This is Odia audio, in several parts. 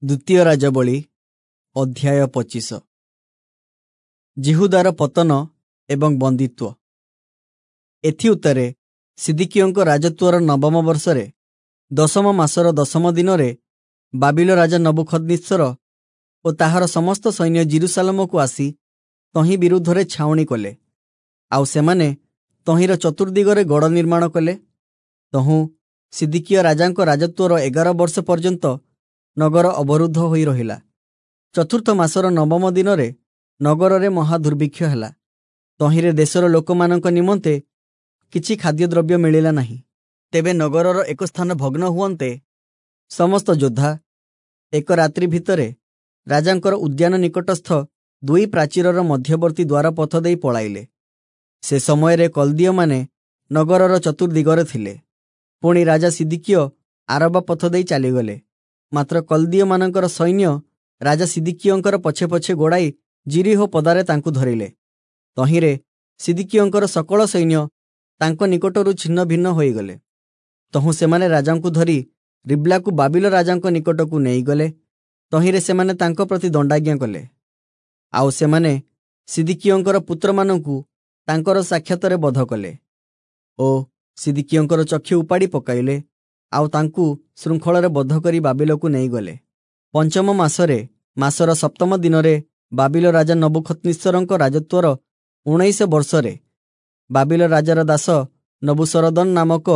ଦ୍ୱିତୀୟ ରାଜାବଳୀ ଅଧ୍ୟାୟ 25। ଯିହୁଦାର ପତନ ଏବଂ ବନ୍ଦୀତ୍ୱ। ଏଥିଉତ୍ତାରେ ସିଦିକିୟଙ୍କ ରାଜତ୍ୱର ନବମ ବର୍ଷରେ ଦଶମ ମାସର ଦଶମ ଦିନରେ ବାବିଲ ରାଜା ନବୂଖଦନିତ୍ସର ଓ ତାହାର ସମସ୍ତ ସୈନ୍ୟ ଯିରୂଶାଲମକୁ ଆସି ତହିଁ ବିରୁଦ୍ଧରେ ଛାଉଣି କଲେ। ଆଉ ସେମାନେ ତହିଁର ଚତୁର୍ଦ୍ଦିଗରେ ଗଡ଼ ନିର୍ମାଣ କଲେ। ତହୁଁ ସିଦିକିୟ ରାଜାଙ୍କ ରାଜତ୍ୱର 11 ବର୍ଷ ପର୍ଯ୍ୟନ୍ତ ନଗର ଅବରୁଦ୍ଧ ହୋଇ ରହିଲା। ଚତୁର୍ଥ ମାସର ନବମ ଦିନରେ ନଗରରେ ମହାଦୁର୍ଭିକ୍ଷ ହେଲା। ତହିଁରେ ଦେଶର ଲୋକମାନଙ୍କ ନିମନ୍ତେ କିଛି ଖାଦ୍ୟଦ୍ରବ୍ୟ ମିଳିଲା ନାହିଁ। ତେବେ ନଗରର ଏକ ସ୍ଥାନ ଭଗ୍ନ ହୁଅନ୍ତେ ସମସ୍ତ ଯୋଦ୍ଧା ଏକ ରାତ୍ରି ଭିତରେ ରାଜାଙ୍କର ଉଦ୍ୟାନ ନିକଟସ୍ଥ ଦୁଇ ପ୍ରାଚୀରର ମଧ୍ୟବର୍ତ୍ତୀ ଦ୍ୱାର ପଥ ଦେଇ ପଳାଇଲେ। ସେ ସମୟରେ କଲ୍ଦୀୟମାନେ ନଗରର ଚତୁର୍ଦ୍ଦିଗରେ ଥିଲେ। ପୁଣି ରାଜା ସିଦିକିୟ ଆରବା ପଥ ଦେଇ ଚାଲିଗଲେ। ମାତ୍ର କଲ୍ଦୀୟମାନଙ୍କର ସୈନ୍ୟ ରାଜା ସିଦିକିୟଙ୍କର ପଛେ ପଛେ ଗୋଡ଼ାଇ ଯିରୀହୋ ପଦାରେ ତାଙ୍କୁ ଧରିଲେ। ତହିଁରେ ସିଦିକିୟଙ୍କର ସକଳ ସୈନ୍ୟ ତାଙ୍କ ନିକଟରୁ ଛିନ୍ନ ଭିନ୍ନ ହୋଇଗଲେ। ତହୁଁ ସେମାନେ ରାଜାଙ୍କୁ ଧରି ରିବ୍ଲାକୁ ବାବିଲ ରାଜାଙ୍କ ନିକଟକୁ ନେଇଗଲେ। ତହିଁରେ ସେମାନେ ତାଙ୍କ ପ୍ରତି ଦଣ୍ଡାଜ୍ଞା କଲେ। ଆଉ ସେମାନେ ସିଦିକିୟଙ୍କର ପୁତ୍ରମାନଙ୍କୁ ତାଙ୍କର ସାକ୍ଷାତରେ ବଧ କଲେ ଓ ସିଦିକିୟଙ୍କର ଚକ୍ଷୁ ଉପାଡ଼ି ପକାଇଲେ। ଆଉ ତାଙ୍କୁ ଶୃଙ୍ଖଳରେ ବଦ୍ଧ କରି ବାବିଲକୁ ନେଇଗଲେ। ପଞ୍ଚମ ମାସରେ ମାସର ସପ୍ତମ ଦିନରେ ବାବିଲ ରାଜା ନବୂଖଦନିତ୍ସରଙ୍କ ରାଜତ୍ୱର 19 ବର୍ଷରେ ବାବିଲ ରାଜାର ଦାସ ନବୂସରଦନ ନାମକ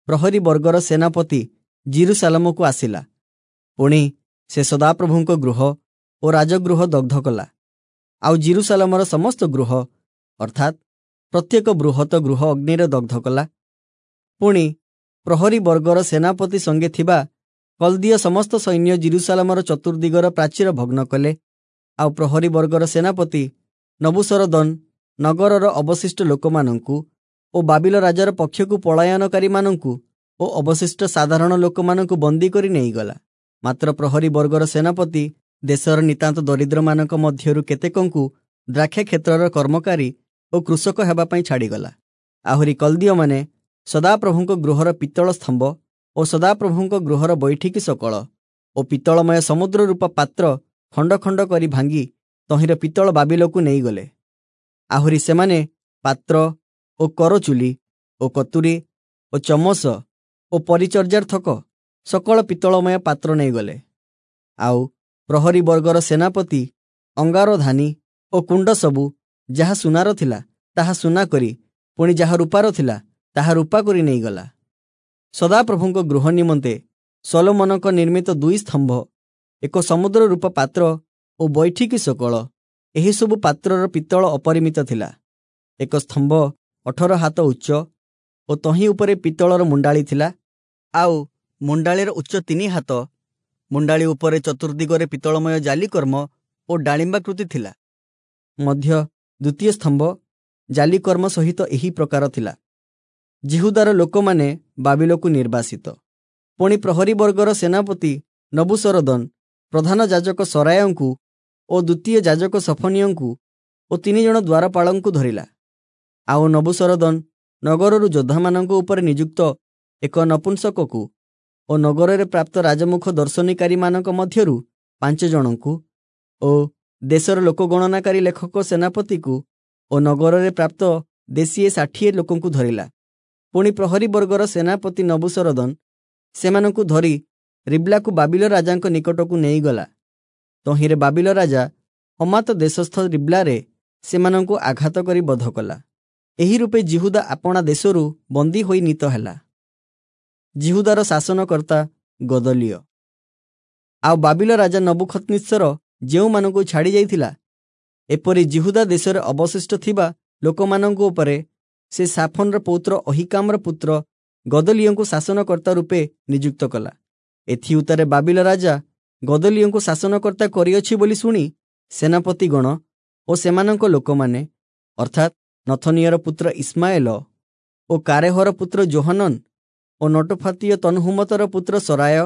ପ୍ରହରୀ ବର୍ଗର ସେନାପତି ଯିରୂଶାଲମକୁ ଆସିଲା। ପୁଣି ସେ ସଦାପ୍ରଭୁଙ୍କ ଗୃହ ଓ ରାଜଗୃହ ଦଗ୍ଧ କଲା। ଆଉ ଯିରୂଶାଲମର ସମସ୍ତ ଗୃହ ଅର୍ଥାତ୍ ପ୍ରତ୍ୟେକ ବୃହତ ଗୃହ ଅଗ୍ନିରେ ଦଗ୍ଧ କଲା। ପୁଣି ପ୍ରହରୀ ବର୍ଗର ସେନାପତି ସଙ୍ଗେ ଥିବା କଲ୍ଦୀୟ ସମସ୍ତ ସୈନ୍ୟ ଯିରୂଶାଲମର ଚତୁର୍ଦ୍ଦିଗର ପ୍ରାଚୀର ଭଗ୍ନ କଲେ। ଆଉ ପ୍ରହରୀ ବର୍ଗର ସେନାପତି ନବୂସରଦନ ନଗରର ଅବଶିଷ୍ଟ ଲୋକମାନଙ୍କୁ ଓ ବାବିଲ ରାଜାର ପକ୍ଷକୁ ପଳାୟନକାରୀମାନଙ୍କୁ ଓ ଅବଶିଷ୍ଟ ସାଧାରଣ ଲୋକମାନଙ୍କୁ ବନ୍ଦୀ କରି ନେଇଗଲା। ମାତ୍ର ପ୍ରହରୀ ବର୍ଗର ସେନାପତି ଦେଶର ନିତାନ୍ତ ଦରିଦ୍ରମାନଙ୍କ ମଧ୍ୟରୁ କେତେକଙ୍କୁ ଦ୍ରାକ୍ଷା କ୍ଷେତ୍ରର କର୍ମକାରୀ ଓ କୃଷକ ହେବା ପାଇଁ ଛାଡ଼ିଗଲା। ଆହୁରି କଲ୍ଦୀୟମାନେ ସଦାପ୍ରଭୁଙ୍କ ଗୃହର ପିତ୍ତଳ ସ୍ତମ୍ଭ ଓ ସଦାପ୍ରଭୁଙ୍କ ଗୃହର ବୈଠିକି ସକଳ ଓ ପିତ୍ତଳମୟ ସମୁଦ୍ର ରୂପ ପାତ୍ର ଖଣ୍ଡ ଖଣ୍ଡ କରି ଭାଙ୍ଗି ତହିଁର ପିତ୍ତଳ ବାବିଲକୁ ନେଇଗଲେ। ଆହୁରି ସେମାନେ ପାତ୍ର ଓ କରଚୁଲି ଓ କତୁରୀ ଓ ଚମସ ଓ ପରିଚର୍ଯ୍ୟାର୍ଥକ ସକଳ ପିତ୍ତଳମୟ ପାତ୍ର ନେଇଗଲେ। ଆଉ ପ୍ରହରୀ ବର୍ଗର ସେନାପତି ଅଙ୍ଗାରଧାନୀ ଓ କୁଣ୍ଡ ସବୁ ଯାହା ସୁନାର ଥିଲା ତାହା ସୁନା କରି, ପୁଣି ଯାହା ରୂପାର ଥିଲା ତାହା ରୂପା କରି ନେଇଗଲା। ସଦାପ୍ରଭୁଙ୍କ ଗୃହ ନିମନ୍ତେ ସଲୋମନଙ୍କ ନିର୍ମିତ ଦୁଇ ସ୍ତମ୍ଭ, ଏକ ସମୁଦ୍ର ରୂପ ପାତ୍ର ଓ ବୈଠିକି ସକଳ ଏହିସବୁ ପାତ୍ରର ପିତ୍ତଳ ଅପରିମିତ ଥିଲା। ଏକ ସ୍ତମ୍ଭ 18 ହାତ ଉଚ୍ଚ ଓ ତହିଁ ଉପରେ ପିତ୍ତଳର ମୁଣ୍ଡାଳି ଥିଲା। ଆଉ ମୁଣ୍ଡାଳିର ଉଚ୍ଚ 3 ହାତ। ମୁଣ୍ଡାଳି ଉପରେ ଚତୁର୍ଦ୍ଦିଗରେ ପିତ୍ତଳମୟ ଜାଲିକର୍ମ ଓ ଡାଳିମ୍ବାକୃତି ଥିଲା। ମଧ୍ୟ ଦ୍ୱିତୀୟ ସ୍ତମ୍ଭ ଜାଲିକର୍ମ ସହିତ ଏହି ପ୍ରକାର ଥିଲା। ଯିହୁଦାର ଲୋକମାନେ ବାବିଲକୁ ନିର୍ବାସିତ। ପୁଣି ପ୍ରହରୀ ବର୍ଗର ସେନାପତି ନବୂସରଦନ ପ୍ରଧାନ ଯାଜକ ସରାୟଙ୍କୁ ଓ ଦ୍ୱିତୀୟ ଯାଜକ ସଫନିୟଙ୍କୁ ଓ 3 ଜଣ ଦ୍ୱାରପାଳଙ୍କୁ ଧରିଲା। ଆଉ ନବୂସରଦନ ନଗରରୁ ଯୋଦ୍ଧାମାନଙ୍କ ଉପରେ ନିଯୁକ୍ତ ଏକ ନପୁଂସକକୁ ଓ ନଗରରେ ପ୍ରାପ୍ତ ରାଜମୁଖ ଦର୍ଶନୀକାରୀମାନଙ୍କ ମଧ୍ୟରୁ 5 ଜଣଙ୍କୁ ଓ ଦେଶର ଲୋକଗଣନାକାରୀ ଲେଖକ ସେନାପତିକୁ ଓ ନଗରରେ ପ୍ରାପ୍ତ ଦେଶୀୟ 60 ଲୋକଙ୍କୁ ଧରିଲା। ପୁଣି ପ୍ରହରୀ ବର୍ଗର ସେନାପତି ନବୂସରଦନ ସେମାନଙ୍କୁ ଧରି ରିବ୍ଲାକୁ ବାବିଲ ରାଜାଙ୍କ ନିକଟକୁ ନେଇଗଲା। ତହିଁରେ ବାବିଲ ରାଜା ହମାତ ଦେଶସ୍ଥ ରିବ୍ଲାରେ ସେମାନଙ୍କୁ ଆଘାତ କରି ବଧ କଲା। ଏହି ରୂପେ ଯିହୁଦା ଆପଣା ଦେଶରୁ ବନ୍ଦୀ ହୋଇ ନୀତ ହେଲା। ଯିହୁଦାର ଶାସନକର୍ତ୍ତା ଗଦଲିୟ। ଆଉ ବାବିଲ ରାଜା ନବୂଖଦନିତ୍ସର ଯେଉଁମାନଙ୍କୁ ଛାଡ଼ି ଯାଇଥିଲା, ଏପରି ଯିହୁଦା ଦେଶରେ ଅବଶିଷ୍ଟ ଥିବା ଲୋକମାନଙ୍କ ଉପରେ ସେ ସାଫନର ପୌତ୍ର ଅହିକାମର ପୁତ୍ର ଗଦଲିୟଙ୍କୁ ଶାସନକର୍ତ୍ତା ରୂପେ ନିଯୁକ୍ତ କଲା। ଏଥିଉତ୍ତାରେ ବାବିଲ ରାଜା ଗଦଲିୟଙ୍କୁ ଶାସନକର୍ତ୍ତା କରିଅଛି ବୋଲି ଶୁଣି ସେନାପତିଗଣ ଓ ସେମାନଙ୍କ ଲୋକମାନେ ଅର୍ଥାତ୍ ନଥନିୟର ପୁତ୍ର ଇସ୍ମାଏଲ ଓ କାରେହର ପୁତ୍ର ଯୋହନନ ଓ ନଟୋଫାତୀୟ ତନହୁମତର ପୁତ୍ର ସରାୟ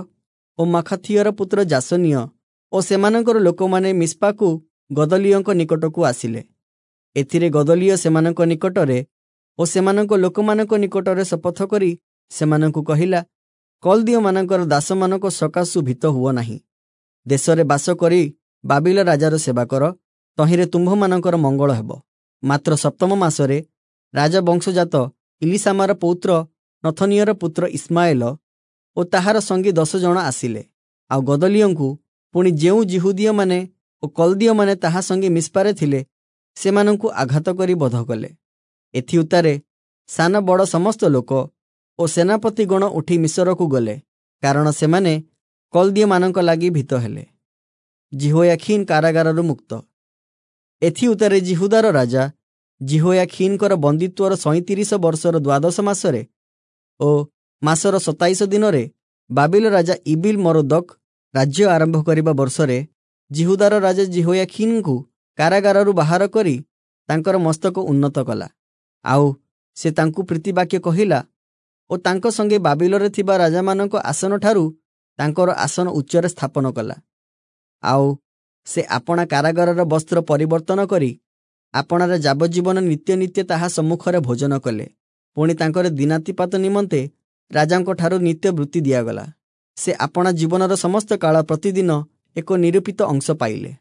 ଓ ମାଖାଥିୟର ପୁତ୍ର ଯାସନୀୟ ଓ ସେମାନଙ୍କର ଲୋକମାନେ ମିସ୍ପାକୁ ଗଦଲିୟଙ୍କ ନିକଟକୁ ଆସିଲେ। ଏଥିରେ ଗଦଲିୟ ସେମାନଙ୍କ ନିକଟରେ ଓ ସେମାନଙ୍କ ଲୋକମାନଙ୍କ ନିକଟରେ ଶପଥ କରି ସେମାନଙ୍କୁ କହିଲା, କଲ୍ଦୀୟମାନଙ୍କର ଦାସମାନଙ୍କ ସକାଶୁ ଭୀତ ହୁଅ ନାହିଁ। ଦେଶରେ ବାସ କରି ବାବିଲ ରାଜାର ସେବା କର, ତହିଁରେ ତୁମ୍ଭମାନଙ୍କର ମଙ୍ଗଳ ହେବ। ମାତ୍ର ସପ୍ତମ ମାସରେ ରାଜବଂଶଜାତ ଇଲିଶାମାର ପୌତ୍ର ନଥନିୟର ପୁତ୍ର ଇସ୍ମାଏଲ ଓ ତାହାର ସଙ୍ଗୀ 10 ଜଣ ଆସିଲେ। ଆଉ ଗଦଲିୟଙ୍କୁ ପୁଣି ଯେଉଁ ଯିହୁଦୀୟମାନେ ଓ କଲ୍ଦୀୟମାନେ ତାହା ସଙ୍ଗେ ମିସ୍ପାରେ ଥିଲେ, ସେମାନଙ୍କୁ ଆଘାତ କରି ବଧ କଲେ। ଏଥିଉତ୍ତାରେ ସାନ ବଡ଼ ସମସ୍ତ ଲୋକ ଓ ସେନାପତିଗଣ ଉଠି ମିଶରକୁ ଗଲେ, କାରଣ ସେମାନେ କଲ୍ଦୀୟମାନଙ୍କ ଲାଗି ଭୀତ ହେଲେ। ଯିହୋୟାଖୀନ୍ କାରାଗାରରୁ ମୁକ୍ତ। ଏଥିଉତ୍ତାରେ ଯିହୁଦାର ରାଜା ଯିହୋୟାଖୀନଙ୍କର ବନ୍ଦୀତ୍ୱର 37 ବର୍ଷର ଦ୍ୱାଦଶ ମାସରେ ଓ ମାସର 27 ଦିନରେ ବାବିଲ ରାଜା ଇବିଲ ମରୋଦକ ରାଜ୍ୟ ଆରମ୍ଭ କରିବା ବର୍ଷରେ ଯିହୁଦାର ରାଜା ଯିହୋୟାଖୀନଙ୍କୁ କାରାଗାରରୁ ବାହାର କରି ତାଙ୍କର ମସ୍ତକ ଉନ୍ନତ କଲା। ଆଉ ସେ ତାଙ୍କୁ ପ୍ରୀତିବାକ୍ୟ କହିଲା ଓ ତାଙ୍କ ସଙ୍ଗେ ବାବିଲରେ ଥିବା ରାଜାମାନଙ୍କ ଆସନଠାରୁ ତାଙ୍କର ଆସନ ଉଚ୍ଚରେ ସ୍ଥାପନ କଲା। ଆଉ ସେ ଆପଣା କାରାଗାରର ବସ୍ତ୍ର ପରିବର୍ତ୍ତନ କରି ଆପଣାର ଯାବଜ୍ଜୀବନ ନିତ୍ୟ ନିତ୍ୟ ତାହା ସମ୍ମୁଖରେ ଭୋଜନ କଲେ। ପୁଣି ତାଙ୍କର ଦିନାତିପାତ ନିମନ୍ତେ ରାଜାଙ୍କଠାରୁ ନିତ୍ୟ ବୃତ୍ତି ଦିଆଗଲା। ସେ ଆପଣା ଜୀବନର ସମସ୍ତ କାଳ ପ୍ରତିଦିନ ଏକ ନିରୂପିତ ଅଂଶ ପାଇଲେ।